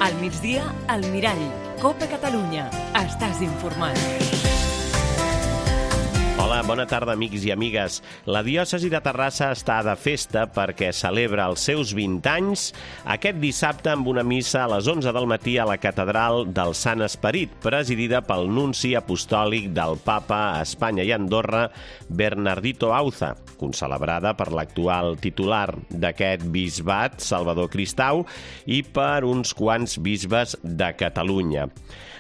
Al migdia, al Mirall. COPE Catalunya. Estàs informat. Hola, bona tarda, amics i amigues. La diòcesi de Terrassa està de festa perquè celebra els seus 20 anys aquest dissabte amb una missa a les 11 del matí a la Catedral del Sant Esperit, presidida pel nunci apostòlic del Papa a Espanya i Andorra, Bernardito Auza, concelebrada per l'actual titular d'aquest bisbat, Salvador Cristau, i per uns quants bisbes de Catalunya.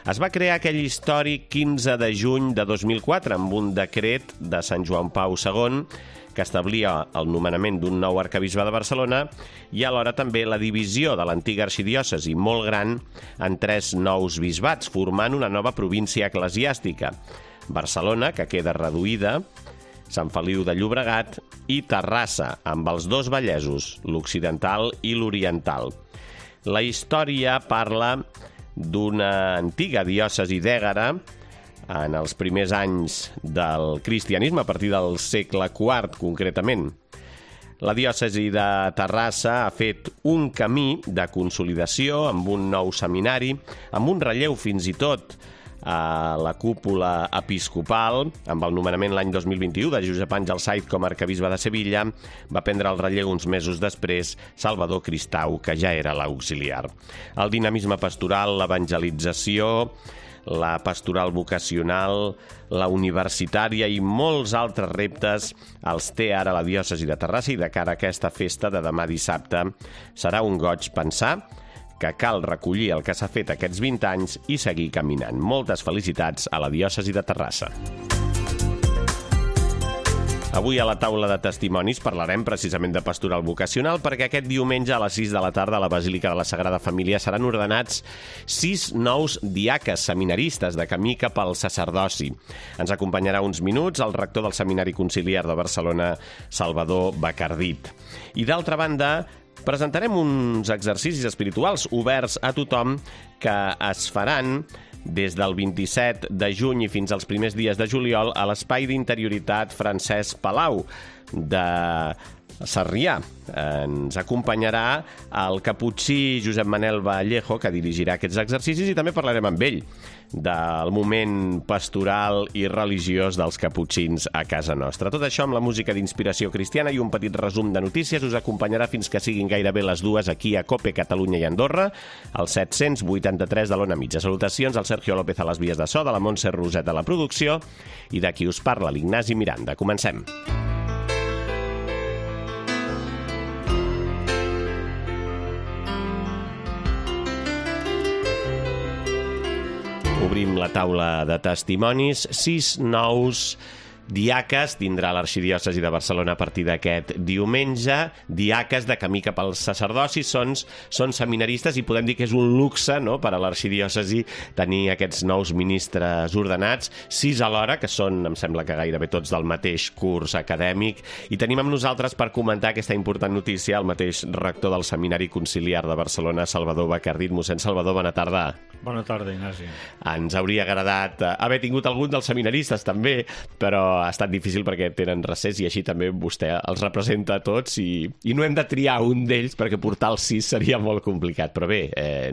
Es va crear aquell històric 15 de juny de 2004 amb un decret de Sant Joan Pau II que establia el nomenament d'un nou arquebisbe de Barcelona i alhora també la divisió de l'antiga arxidiòcesi molt gran en 3 nous bisbats, formant una nova província eclesiàstica. Barcelona, que queda reduïda, Sant Feliu de Llobregat i Terrassa, amb els 2 vallesos, l'occidental i l'oriental. La història parla d'una antiga diòcesi d'Ègara en els primers anys del cristianisme, a partir del segle IV, concretament. La diòcesi de Terrassa ha fet un camí de consolidació amb un nou seminari, amb un relleu fins i tot a la cúpula episcopal, amb el nomenament l'any 2021 de Josep Àngel Saiz com a arquebisbe de Sevilla. Va prendre el relleu uns mesos després Salvador Cristau, que ja era l'auxiliar. El dinamisme pastoral, l'evangelització, la pastoral vocacional, la universitària i molts altres reptes els té ara la diòcesi de Terrassa, i de cara a aquesta festa de demà dissabte serà un goig pensar que cal recollir el que s'ha fet aquests 20 anys i seguir caminant. Moltes felicitats a la diòcesi de Terrassa. Avui a la taula de testimonis parlarem precisament de pastoral vocacional, perquè aquest diumenge a les 6 de la tarda a la Basílica de la Sagrada Família seran ordenats 6 nous diaques seminaristes de camí cap al sacerdoci. Ens acompanyarà uns minuts el rector del Seminari Conciliar de Barcelona, Salvador Bacardit. I d'altra banda, presentarem uns exercicis espirituals oberts a tothom que es faran des del 27 de juny i fins als primers dies de juliol a l'Espai d'Interioritat Francesc Palau de Sarrià. Ens acompanyarà el caputxí Josep Manel Vallejo, que dirigirà aquests exercicis, i també parlarem amb ell del moment pastoral i religiós dels caputxins a casa nostra. Tot això amb la música d'inspiració cristiana i un petit resum de notícies us acompanyarà fins que siguin gairebé les 2 aquí a COPE Catalunya i Andorra, al 783 de l'Ona Mitja. Salutacions al Sergio López a les vies de so, de la Montse Roset a la producció i de qui us parla, l'Ignasi Miranda. Comencem. Obrim la taula de testimonis. 6 nous diaques tindrà l'arxidiòcesi de Barcelona a partir d'aquest diumenge. Diaques de camí cap al sacerdoci, són seminaristes, i podem dir que és un luxe, no?, per a l'arxidiòcesi tenir aquests nous ministres ordenats, 6 alhora, que són, em sembla que gairebé tots del mateix curs acadèmic. I tenim amb nosaltres per comentar aquesta important notícia el mateix rector del Seminari Conciliar de Barcelona, Salvador Bacardit. Mossèn Salvador, bona tarda. Bona tarda, Ignasi. Ens hauria agradat haver tingut algun dels seminaristes també, però ha estat difícil perquè tenen recés i així també vostè els representa a tots i no hem de triar un d'ells perquè portar els 6 seria molt complicat. Però bé,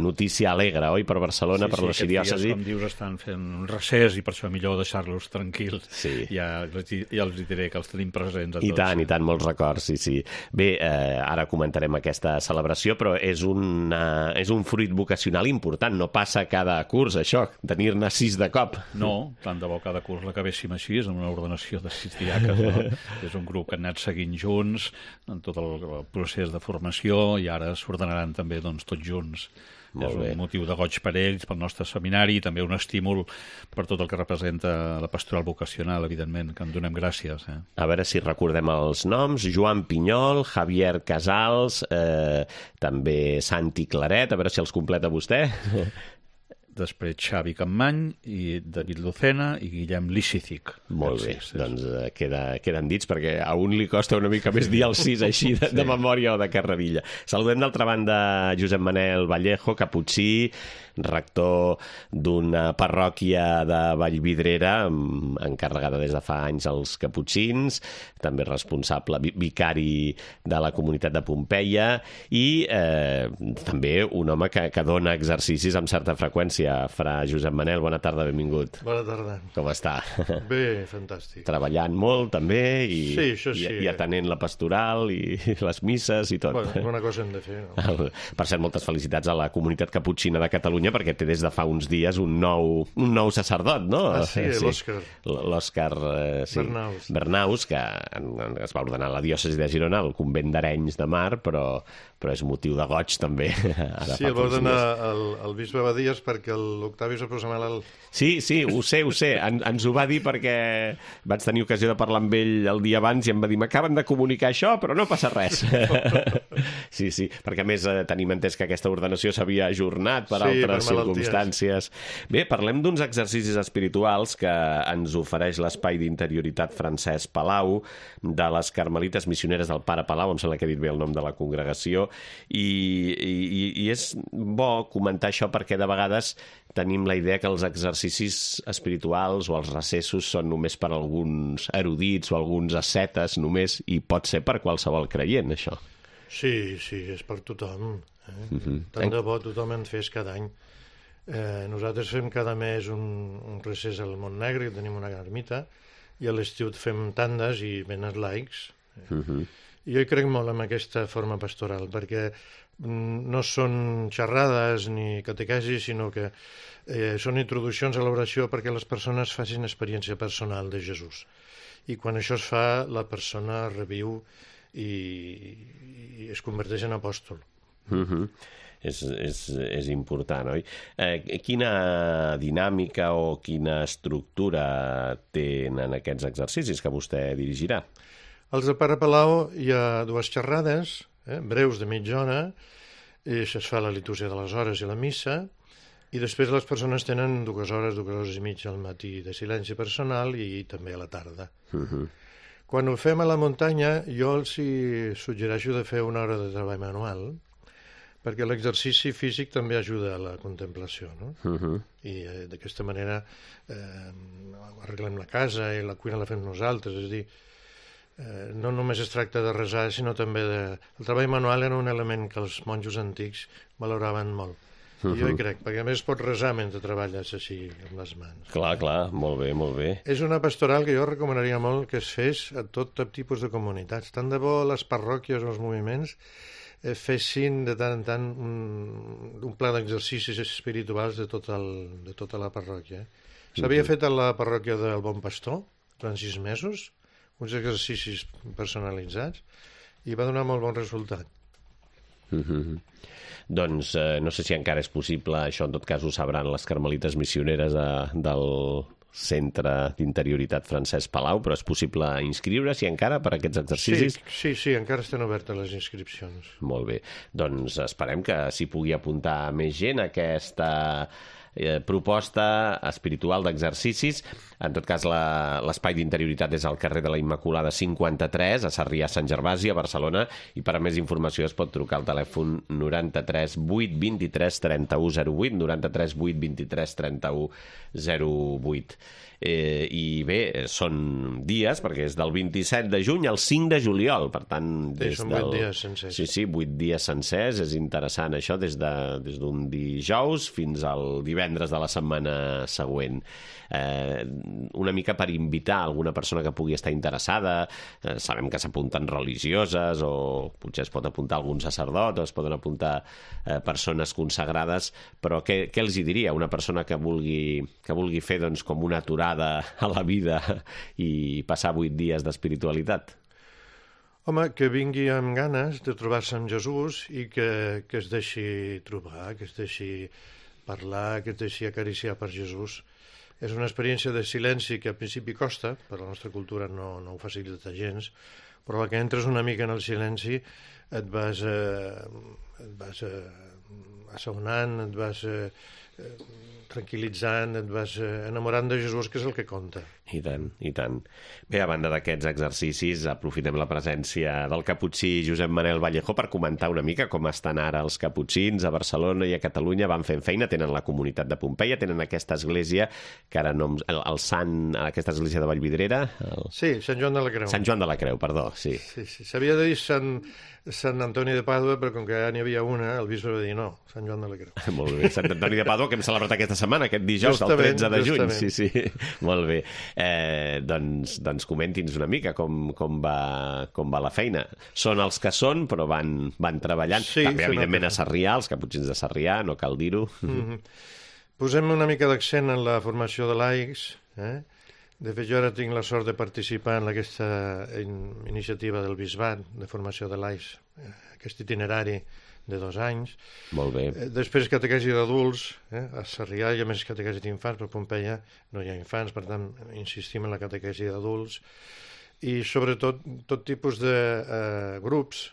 notícia alegre, oi, per Barcelona, per l'arxidiòcesi. Sí, com dius, estan fent un recés i per això millor deixar-los tranquils. Sí. Ja els diré que els tenim presents a tots. I tant, molts records, sí. Bé, ara comentarem aquesta celebració, però és un fruit vocacional important. No passa cada curs, això, tenir-ne 6 de cop. No, tant de bo cada curs l'acabéssim així, amb una ordenació de 6 diaques, no? És un grup que han anat seguint junts en tot el procés de formació i ara s'ordenaran també tots junts. És un motiu de goig per ells, pel nostre seminari, i també un estímul per tot el que representa la pastoral vocacional, evidentment, que en donem gràcies. A veure si recordem els noms. Joan Pinyol, Javier Casals, també Santi Claret, a veure si els completa vostè. després Xavi Campmany, i David Lucena i Guillem Licitic. Molt bé, doncs queden dits, perquè a un li costa una mica més dir el 6 així de memòria o de carrerilla. Saludem d'altra banda Josep Manel Vallejo, caputxí, rector d'una parròquia de Vallvidrera, encarregada des de fa anys als caputxins, també responsable, vicari de la comunitat de Pompeia, i també un home que dona exercicis amb certa freqüència. Fra Josep Manel, bona tarda, benvingut. Bona tarda. Com està? Bé, fantàstic. Treballant molt, també, sí, això sí. i atenent la pastoral i les misses i tot. Bueno, alguna cosa hem de fer, no? Per cert, moltes felicitats a la comunitat caputxina de Catalunya, perquè té des de fa uns dies un nou sacerdot, no? Ah, sí, l'Òscar. L'Òscar Bernaus, que es va ordenar a la diòcesi de Girona, al convent d'Arenys de Mar, però és motiu de goig, també. Sí, el va ordenar el bisbe Badies perquè l'Octavi se posa malalt. Sí, ho sé. Ens ho va dir perquè vaig tenir ocasió de parlar amb ell el dia abans i em va dir, m'acaben de comunicar això, però no passa res. Sí, perquè a més tenim entès que aquesta ordenació s'havia ajornat per altres circumstàncies. Bé, parlem d'uns exercicis espirituals que ens ofereix l'Espai d'Interioritat Francesc Palau, de les Carmelites Missioneres del Pare Palau, em sembla que he dit bé el nom de la congregació, i és bo comentar això perquè de vegades tenim la idea que els exercicis espirituals o els recessos són només per alguns erudits o alguns ascetes només, i pot ser per qualsevol creient, això. Sí, és per tothom. Tant de bo tothom en fes cada any. Nosaltres fem cada mes un recés al Montnegre, tenim una ermita, i a l'estiu fem tandes i venen laics. Jo hi crec molt en aquesta forma pastoral, perquè no són xerrades ni catequesis, sinó que són introduccions a l'oració perquè les persones facin experiència personal de Jesús. I quan això es fa, la persona reviu i es converteix en apòstol. És important, oi? Quina dinàmica o quina estructura tenen aquests exercicis que vostè dirigirà? Als de Pare Palau hi ha dues xerrades, breus de mitja hora, i es fa la litúrgia de les hores i la missa, i després les persones tenen 2 hores i mitja al matí de silenci personal i també a la tarda. Quan ho fem a la muntanya, jo els suggereixo de fer 1 hora de treball manual, perquè l'exercici físic també ajuda a la contemplació, no? I d'aquesta manera arreglem la casa i la cuina la fem nosaltres, és a dir, no només es tracta de resar, sinó també el treball manual era un element que els monjos antics valoraven molt. I jo hi crec, perquè a més es pot resar mentre treballes així amb les mans. Clar, molt bé. És una pastoral que jo recomanaria molt que es fes a tot tipus de comunitats. Tant de bo les parròquies o els moviments fessin de tant en tant un pla d'exercicis espirituals de tota la parròquia. S'havia fet a la parròquia del Bon Pastor, durant 6 mesos, uns exercicis personalitzats, i va donar molt bon resultat. Doncs no sé si encara és possible, això en tot cas ho sabran les Carmelites Missioneres del Centre d'Interioritat Francesc Palau, però és possible inscriure-s'hi encara per aquests exercicis? Sí, encara estan obertes les inscripcions. Molt bé, doncs esperem que s'hi pugui apuntar més gent a aquesta proposta espiritual d'exercicis. En tot cas, l'espai d'interioritat és al carrer de la Immaculada 53, a Sarrià Sant Gervasi, a Barcelona, i per a més informació es pot trucar al telèfon 93 8 23 31 08, 93 8 23 31 08. I bé, són dies, perquè és del 27 de juny al 5 de juliol, per tant... Són 8 dies sencers. Sí, 8 dies sencers, és interessant això, des d'un dijous fins al divendres de la setmana següent. Una mica per invitar alguna persona que pugui estar interessada. Sabem que s'apunten religioses, o potser es pot apuntar algun sacerdot, o es poden apuntar persones consagrades, però què els hi diria una persona que vulgui fer doncs, com una aturada a la vida i passar 8 dies d'espiritualitat? Home, que vingui amb ganes de trobar-se amb Jesús i que es deixi trobar, que es deixi parlar, que es deixi acariciar per Jesús. És una experiència de silenci que al principi costa, per la nostra cultura no ho facilita gens, però la que entres una mica en el silenci et vas assaonant, et vas tranquil·litzant, et vas enamorant de Jesús, que és el que compta. I tant, i tant. Bé, a banda d'aquests exercicis, aprofitem la presència del caputxí Josep Manel Vallejo per comentar una mica com estan ara els caputxins a Barcelona i a Catalunya. Van fent feina, tenen la comunitat de Pompeia, tenen aquesta església, que ara no... el sant, aquesta església de Vallvidrera... Sí, Sant Joan de la Creu. Sant Joan de la Creu, perdó, sí. Sí. S'havia de dir Sant Antoni de Pàdua, però com que ja n'hi havia una, el bisbe va dir no, Sant Joan de la Creu. Molt bé, Sant Antoni de Pàdua, que hem celebrat aquesta setmana, aquest dijous, el 13 de juny. Sí. Molt bé. Doncs comenti'ns una mica com va la feina. Són els que són, però van treballant. Sí, també, evidentment, a Sarrià, els caputxins de Sarrià, no cal dir-ho. Posem una mica d'accent en la formació de laics. De fet, jo ara tinc la sort de participar en aquesta iniciativa del Bisbat de formació de laics, aquest itinerari de 2 anys. Molt bé. Després catequesi d'adults, a Sarrià hi ha més catequesi d'infants, però a Pompeia no hi ha infants, per tant insistim en la catequesi d'adults, i sobretot tot tipus de grups,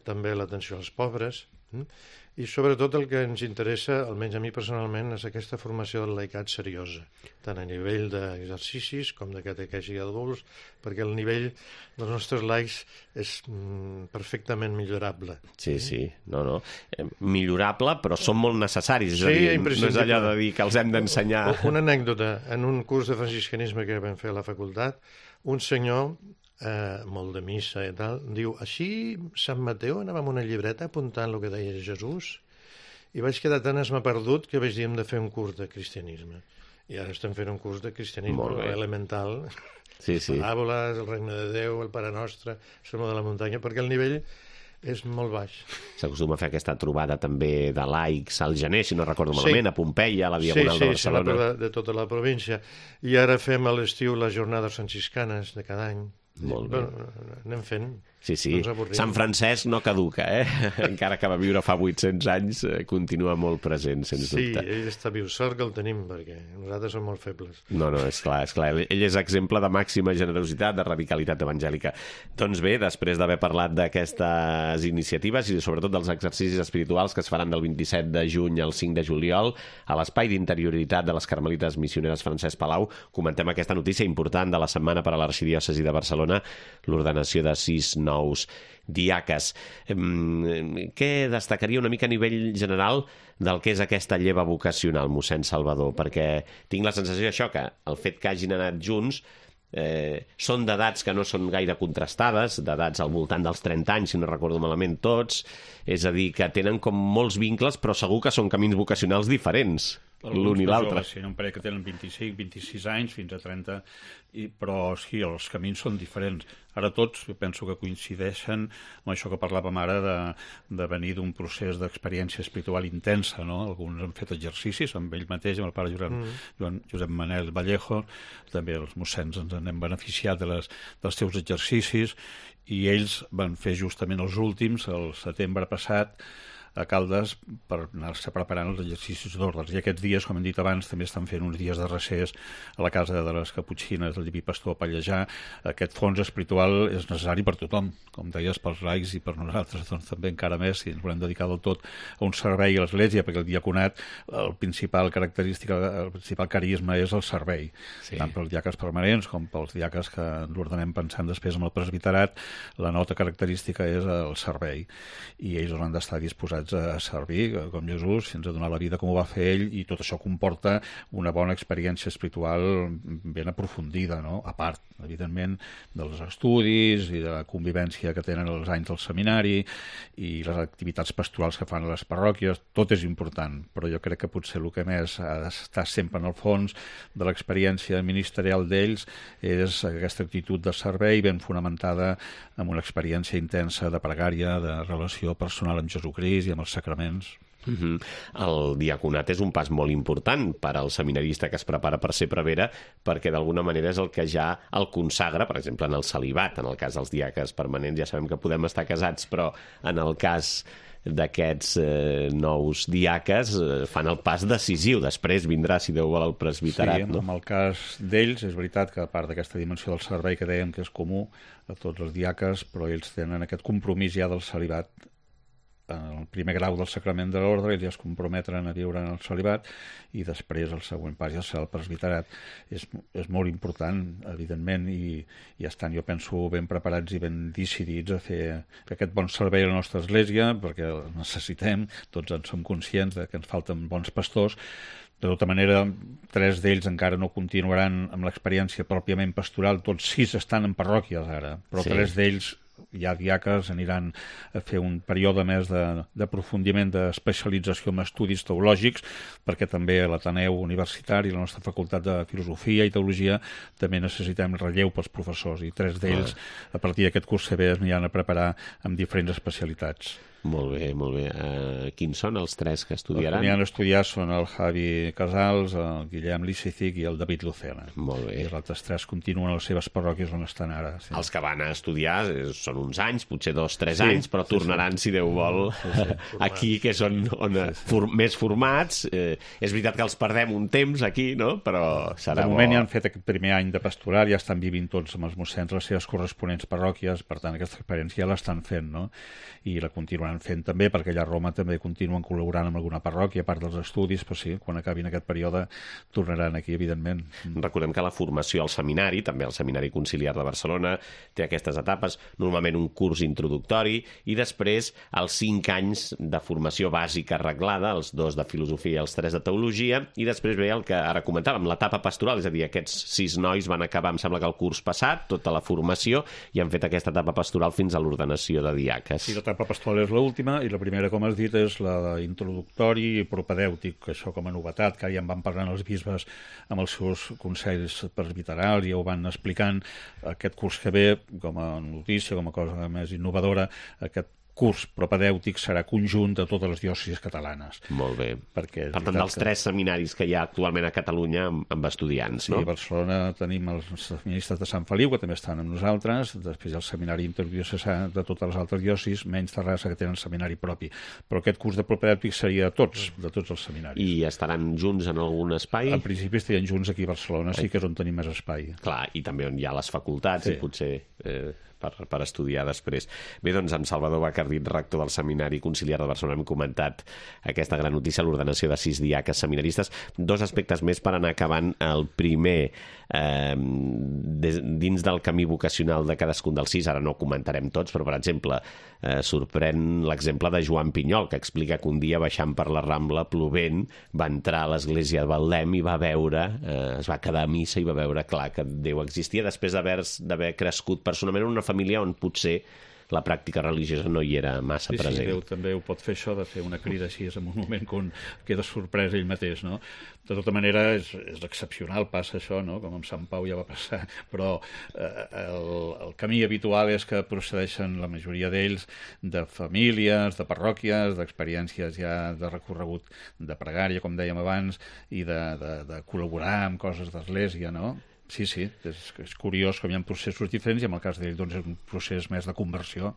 també l'atenció als pobres, i sobretot el que ens interessa, almenys a mi personalment, és aquesta formació del laicat seriosa, tant a nivell d'exercicis com de catequesi d'adults, perquè el nivell dels nostres laics és perfectament millorable. Sí. No. Millorable, però són molt necessaris. És Sí, a dir, no és imprescindible. allò de dir que els hem d'ensenyar... Una anècdota. En un curs de franciscanisme que vam fer a la facultat, un senyor, molt de missa i tal, diu, així Sant Mateu anava amb una llibreta apuntant el que deia Jesús, i vaig quedar tan esmaperdut que vaig dir hem de fer un curs de cristianisme. I ara estem fent un curs de cristianisme elemental, Sí. paràboles, el regne de Déu, el Pare Nostre, el Sermó de la Muntanya, perquè el nivell és molt baix. S'acostuma a fer aquesta trobada també de laics al gener, si no recordo malament, a Pompeia, a la Diagonal de Barcelona. Sí, de tota la província. I ara fem a l'estiu les jornades franciscanes de cada any. Molt bé. Anem fent. Sí. No ens avorrim. Sant Francesc no caduca, encara que va viure fa 800 anys, continua molt present, sens dubte. Sí, ell està viu. Sort que el tenim, perquè nosaltres som molt febles. No, és clar. Ell és exemple de màxima generositat, de radicalitat evangèlica. Doncs bé, després d'haver parlat d'aquestes iniciatives i sobretot dels exercicis espirituals que es faran del 27 de juny al 5 de juliol a l'Espai d'Interioritat de les Carmelites Missioneres Francesc Palau, comentem aquesta notícia important de la setmana per a l'Arxidiòcesi de Barcelona, l'ordenació de 6 nous diaques. Què destacaria una mica a nivell general del que és aquesta lleva vocacional, mossèn Salvador? Perquè tinc la sensació d'això, que el fet que hagin anat junts són d'edats que no són gaire contrastades, d'edats al voltant dels 30 anys, si no recordo malament tots, és a dir, que tenen com molts vincles, però segur que són camins vocacionals diferents, l'un i l'altre. Sí, un parell que tenen 25, 26 anys, fins a 30, però sí, els camins són diferents. Ara tots, jo penso que coincideixen amb això que parlàvem ara de venir d'un procés d'experiència espiritual intensa, no? Alguns han fet exercicis amb ell mateix, amb el pare Josep Manel Vallejo, també els mossens ens n'hem beneficiat dels seus exercicis, i ells van fer justament els últims, el setembre passat, a Caldes, per anar-se preparant els exercicis d'ordres. I aquests dies, com hem dit abans, també estan fent uns dies de recés a la casa de les Caputxines del Diví Pastor a Pallejà. Aquest fons espiritual és necessari per tothom, com deies, pels laics i per nosaltres, doncs també encara més, si ens volem dedicar del tot a un servei a l'Església, perquè el diaconat, el principal característica, el principal carisma és el servei, tant pels diaques permanents com pels diaques que l'ordenem pensant després amb el presbiterat, la nota característica és el servei, i ells han d'estar disposats a servir, com Jesús, fins a donar la vida com ho va fer ell, i tot això comporta una bona experiència espiritual ben aprofundida, no? A part, evidentment, dels estudis i de la convivència que tenen els anys del seminari i les activitats pastorals que fan a les parròquies, tot és important, però jo crec que potser el que més ha d'estar sempre en el fons de l'experiència ministerial d'ells és aquesta actitud de servei ben fonamentada en una experiència intensa de pregària, de relació personal amb Jesucrist i amb els sacraments. El diaconat és un pas molt important per al seminarista que es prepara per ser prevere, perquè d'alguna manera és el que ja el consagra, per exemple, en el celibat. En el cas dels diaques permanents ja sabem que podem estar casats, però en el cas d'aquests nous diaques fan el pas decisiu. Després vindrà, si Déu vol, el presbiterat. Sí, en el cas d'ells, és veritat que a part d'aquesta dimensió del servei que dèiem que és comú a tots els diaques, però ells tenen aquest compromís ja del celibat. En el primer grau del sacrament de l'ordre ells ja es comprometren a viure en el celibat i després el següent pas ja serà el presbiterat. És molt important, evidentment, i estan, jo penso, ben preparats i ben decidits a fer aquest bon servei a la nostra església, perquè el necessitem, tots en som conscients que ens falten bons pastors. De tota manera, 3 d'ells encara no continuaran amb l'experiència pròpiament pastoral, tots 6 estan en parròquies ara, però 3 d'ells ja diaques aniran a fer un període més d'aprofundiment, d'especialització en estudis teològics, perquè també a l'Ateneu Universitari, la nostra facultat de Filosofia i Teologia, també necessitem relleu pels professors, i 3 d'ells, a partir d'aquest curs que ve, es aniran a preparar amb diferents especialitats. Molt bé, molt bé. Quins són els 3 que estudiaran? Els que aniran a estudiar són el Javi Casals, el Guillem Licific i el David Lucena. Molt bé. I els altres 3 continuen a les seves parròquies on estan ara. Sí. Els que van a estudiar són uns anys, potser 2-3 anys, però tornaran, si Déu vol, aquí, que són més formats. És veritat que els perdem un temps aquí, no? Però serà bo. De moment ja han fet aquest primer any de pastoral, ja estan vivint tots amb els mossens les seves corresponents parròquies, per tant aquesta experiència ja l'estan fent, no? I la continuaran fent també, perquè allà a Roma també continuen col·laborant amb alguna parròquia, a part dels estudis, però sí, quan acabin aquest període tornaran aquí, evidentment. Recordem que la formació al seminari, també al Seminari Conciliar de Barcelona, té aquestes etapes, normalment un curs introductori, i després els 5 anys de formació bàsica reglada, els 2 de filosofia i els 3 de teologia, i després ve el que ara comentàvem, l'etapa pastoral, és a dir, aquests 6 nois van acabar, em sembla que el curs passat, tota la formació, i han fet aquesta etapa pastoral fins a l'ordenació de diaques. Sí, l'etapa pastoral és l'última, i la primera, com has dit, és la introductori i propedèutic, això com a novetat, que ara ja en van parlant els bisbes amb els seus consells presbiterals, ja ho van explicant. Aquest curs que ve, com a notícia, com a cosa més innovadora, aquest curs propedèutic serà conjunt de totes les diòcesis catalanes. Molt bé. Per tant, dels 3 seminaris que hi ha actualment a Catalunya amb estudiants, no? Sí, a Barcelona tenim els seminaristes de Sant Feliu, que també estan amb nosaltres, després el seminari interdiocesà de totes les altres diòcesis, menys Terrassa, que tenen seminari propi. Però aquest curs de propedèutic seria de tots els seminaris. I estaran junts en algun espai? Al principi estarien junts aquí a Barcelona, sí que és on tenim més espai. Clar, i també on hi ha les facultats, i potser per estudiar després. Bé, doncs, amb Salvador Bacardit, rector del Seminari Conciliar de Barcelona, hem comentat aquesta gran notícia, l'ordenació de 6 diaques seminaristes. 2 aspectes més per anar acabant. El primer, dins del camí vocacional de cadascun dels 6, ara no ho comentarem tots, però, per exemple, sorprèn l'exemple de Joan Pinyol, que explica que un dia, baixant per la Rambla, plovent, va entrar a l'església de Betlem i va veure, es va quedar a missa i va veure, clar, que Déu existia, després d'haver crescut personalment en una família on potser la pràctica religiosa no hi era massa present. Sí, Déu també ho pot fer, això de fer una crida així en un moment que queda sorprès ell mateix, no? De tota manera, és excepcional, passa això, no? Com amb Sant Pau ja va passar, però el camí habitual és que procedeixen la majoria d'ells de famílies, de parròquies, d'experiències ja de recorregut de pregària, com dèiem abans, i de col·laborar amb coses d'església, no? Sí, és curiós com hi ha processos diferents, i en el cas d'ell doncs, és un procés més de conversió.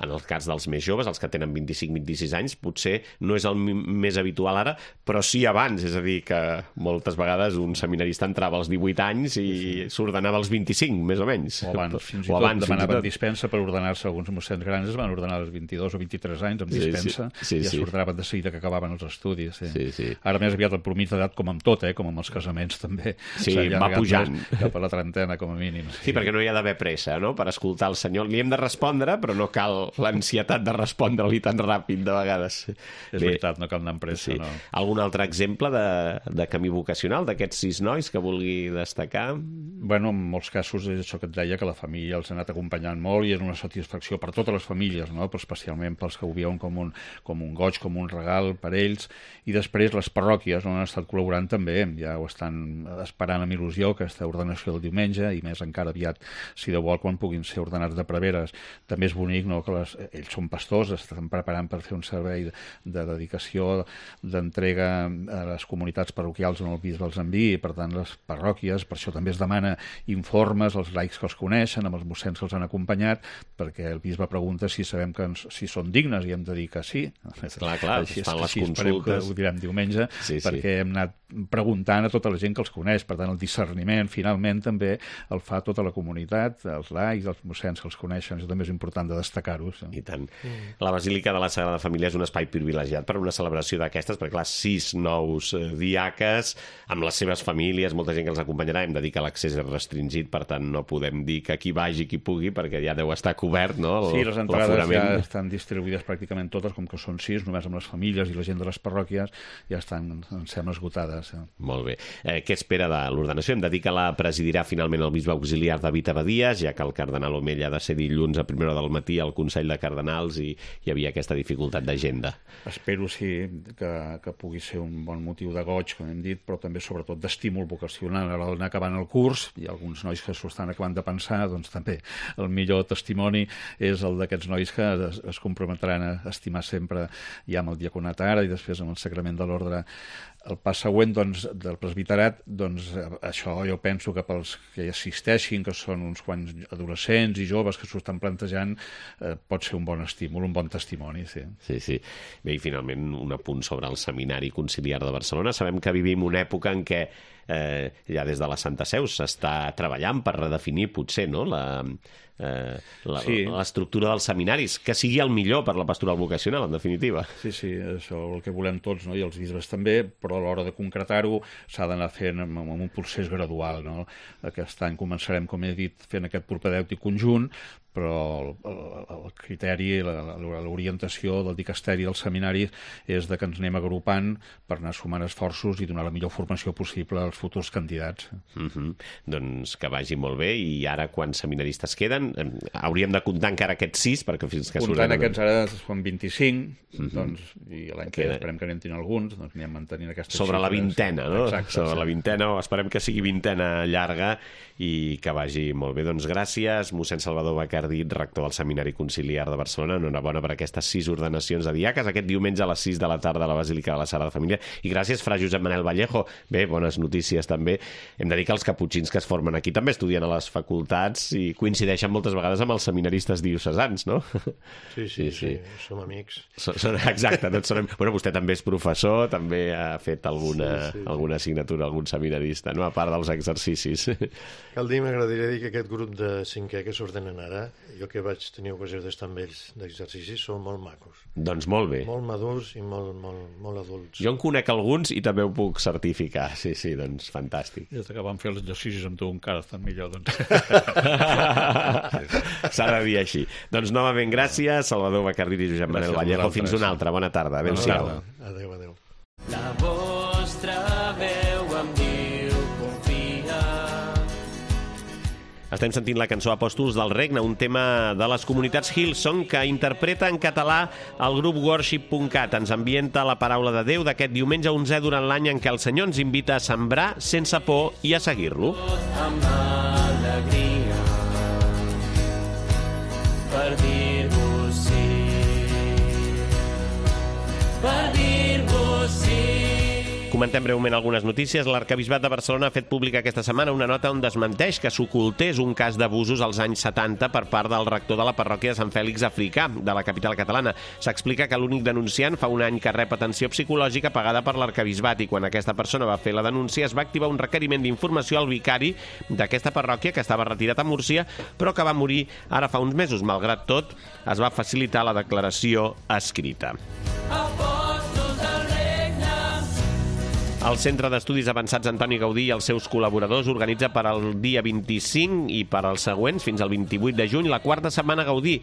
En el cas dels més joves, els que tenen 25-26 anys, potser no és el més habitual ara, però sí abans, és a dir, que moltes vegades un seminarista entrava als 18 anys i s'ordenava als 25, més o menys. O abans, fins i tot demanaven dispensa per ordenar-se. Alguns mossens grans es van ordenar als 22 o 23 anys amb dispensa, i ja s'ordenaven de seguida que acabaven els estudis. Ara més aviat el promís d'edat, com amb tot, com amb els casaments també. Sí, va pujant. Cap a la trentena, com a mínim. Sí, perquè no hi ha d'haver pressa, no?, per escoltar el senyor. Li hem de respondre, però no cal l'ansietat de respondre-li tan ràpid, de vegades. És veritat, no cal anar amb pressa, no. Algun altre exemple de camí vocacional d'aquests 6 nois que vulgui destacar? Bueno, en molts casos és això que et deia, que la família els ha anat acompanyant molt i és una satisfacció per totes les famílies, no?, però especialment pels que ho veuen com un goig, com un regal per ells. I després les parròquies on han estat col·laborant també, ja ho estan esperant amb il·lusió, aquesta ordenació l'ordenació del diumenge, i més encara aviat, si de vol, quan puguin ser ordenats de preveres. També és bonic, no?, que ells són pastors, estan preparant per fer un servei de dedicació, d'entrega a les comunitats parroquials on el bisbe els enviï, per tant, les parròquies, per això també es demana informes als laics que els coneixen, amb els mossens que els han acompanyat, perquè el bisbe pregunta si sabem si són dignes, i hem de dir que sí. Clar, així fan les consultes. Ho direm diumenge, perquè hem anat preguntant a tota la gent que els coneix. Per tant, el discerniment, finalment, també el fa tota la comunitat, els laics, els mossens que els coneixen. Això també és important de destacar-ho. I tant. La Basílica de la Sagrada Família és un espai privilegiat per una celebració d'aquestes, perquè, clar, 6 nous diaques, amb les seves famílies, molta gent que els acompanyarà. Hem de dir que l'accés és restringit, per tant, no podem dir que qui vagi, qui pugui, perquè ja deu estar cobert, no? Sí, les entrades ja estan distribuïdes pràcticament totes, com que són 6, només amb les famílies i la gent de les parròquies, ja estan, em sembla, esgotades. Molt bé. Què espera de l'ordenació? Hem de dir que la presidirà finalment el bisbe auxiliar David Abadies, ja que el cardenal Omella ha de ser dilluns a primera hora del matí al Consell de Cardenals i hi havia aquesta dificultat d'agenda. Espero, sí, que pugui ser un bon motiu de goig, com hem dit, però també, sobretot, d'estímul vocacional. A l'hora d'anar acabant el curs, hi ha alguns nois que s'ho estan acabant de pensar, doncs també el millor testimoni és el d'aquests nois que es comprometran a estimar sempre ja amb el diaconat ara i després amb el sacrament de l'ordre. El pas següent, doncs, del presbiterat, doncs, això jo penso que pels que hi assisteixin, que són uns quants adolescents i joves que s'ho estan plantejant, pot ser un bon estímul, un bon testimoni, sí. Sí. Bé, i finalment un apunt sobre el Seminari Conciliar de Barcelona. Sabem que vivim una època en què ja des de la Santa Seu s'està treballant per redefinir, potser, no?, l'estructura dels seminaris, que sigui el millor per la pastoral vocacional, en definitiva. Sí, això el que volem tots, no?, i els bisbes també, però a l'hora de concretar-ho s'ha d'anar fent amb un procés gradual, no? Aquest any començarem, com he dit, fent aquest propedèutic conjunt, però el criteri, l'orientació del dicasteri dels seminaris és de que ens anem agrupant per anar sumant esforços i donar la millor formació possible als futurs candidats. Doncs que vagi molt bé, i ara quants seminaristes queden? Hauríem de comptar encara aquests 6, perquè fins que comptant aquests ara són 25, doncs, i l'any que esperem que n'hem tingut alguns, doncs anem mantenint aquestes sobre xifres. La vintena, no? Exacte, sobre la vintena, o esperem que sigui vintena llarga i que vagi molt bé. Doncs gràcies, mossèn Salvador Bacardí, rector del Seminari Conciliar de Barcelona. Enhorabona per aquestes 6 ordenacions de diaques aquest diumenge a les 6 de la tarda a la Basílica de la Sagrada Família. I gràcies, fra Josep Manel Vallejo. Bé, bones notícies també. Hem de dir que els caputxins que es formen aquí també estudien a les facultats i coincideixen moltes vegades amb els seminaristes diocesans, no? Sí, som amics. Exacte, tots som... Bueno, vostè també és professor, també ha fet alguna assignatura, algun seminarista, no?, a part dels exercicis. Cal dir, m'agradaria dir que aquest grup de 5è que s'ordenen ara, jo que vaig tenir ocasió d'estar amb ells d'exercicis, són molt macos. Doncs molt bé. Molt madurs i molt adults. Jo en conec alguns i també ho puc certificar. Sí, doncs fantàstic. Des que vam fer els exercicis amb tu encara estan millor, doncs. S'ha de dir així. Doncs novament gràcies, Salvador Bacardí i Josep Manel Vallejo. Fins una altra. Bona tarda. Adéu-siau. Adéu. La vostra veu em diu confia. Estem sentint la cançó Apòstols del Regne, un tema de les comunitats Hillsong que interpreta en català el grup Worship.cat. Ens ambienta la paraula de Déu d'aquest diumenge 11è durant l'any en què el Senyor ens invita a sembrar sense por i a seguir-lo. Amb alegria per dir-vos sí, per dir-vos sí. Comentem breument algunes notícies. L'Arquebisbat de Barcelona ha fet pública aquesta setmana una nota on desmenteix que s'ocultés un cas d'abusos als anys 70 per part del rector de la parròquia de Sant Fèlix Africà, de la capital catalana. S'explica que l'únic denunciant fa un any que rep atenció psicològica pagada per l'Arquebisbat i quan aquesta persona va fer la denúncia es va activar un requeriment d'informació al vicari d'aquesta parròquia que estava retirat a Múrcia però que va morir ara fa uns mesos. Malgrat tot, es va facilitar la declaració escrita. El Centre d'Estudis Avançats Antoni Gaudí i els seus col·laboradors organitza per al dia 25 i per als següents, fins al 28 de juny, la quarta setmana Gaudí,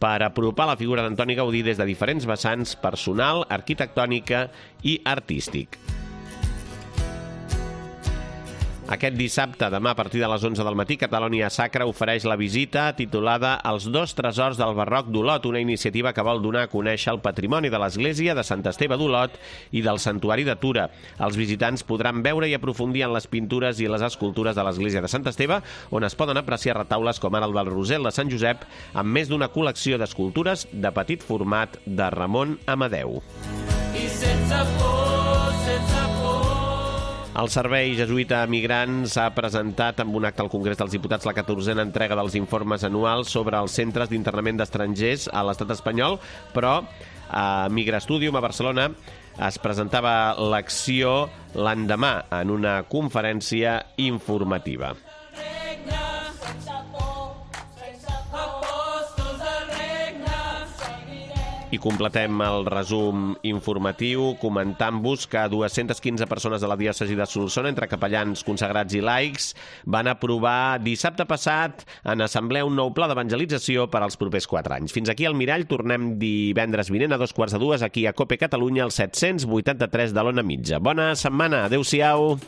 per apropar la figura d'Antoni Gaudí des de diferents vessants personal, arquitectònica i artístic. Aquest dissabte, demà, a partir de les 11 del matí, Catalonia Sacra ofereix la visita titulada Els dos tresors del barroc d'Olot, una iniciativa que vol donar a conèixer el patrimoni de l'església de Sant Esteve d'Olot i del santuari de Tura. Els visitants podran veure i aprofundir en les pintures i les escultures de l'església de Sant Esteve, on es poden apreciar retaules com ara el del Rosel de Sant Josep, amb més d'una col·lecció d'escultures de petit format de Ramon Amadeu. I sense por, sense por. El Servei Jesuïta a Migrants ha presentat amb un acte al Congrés dels Diputats la 14a entrega dels informes anuals sobre els centres d'internament d'estrangers a l'estat espanyol, però a Migrastudium a Barcelona es presentava l'acció l'endemà en una conferència informativa. I completem el resum informatiu comentant-vos que 215 persones de la diòcesi de Solsona, entre capellans consagrats i laics, van aprovar dissabte passat en assemblea un nou pla d'evangelització per als propers 4 anys. Fins aquí al Mirall, tornem divendres vinent a 2:45 aquí a COPE Catalunya, al 783 de l'Ona Mitja. Bona setmana, adeu-siau!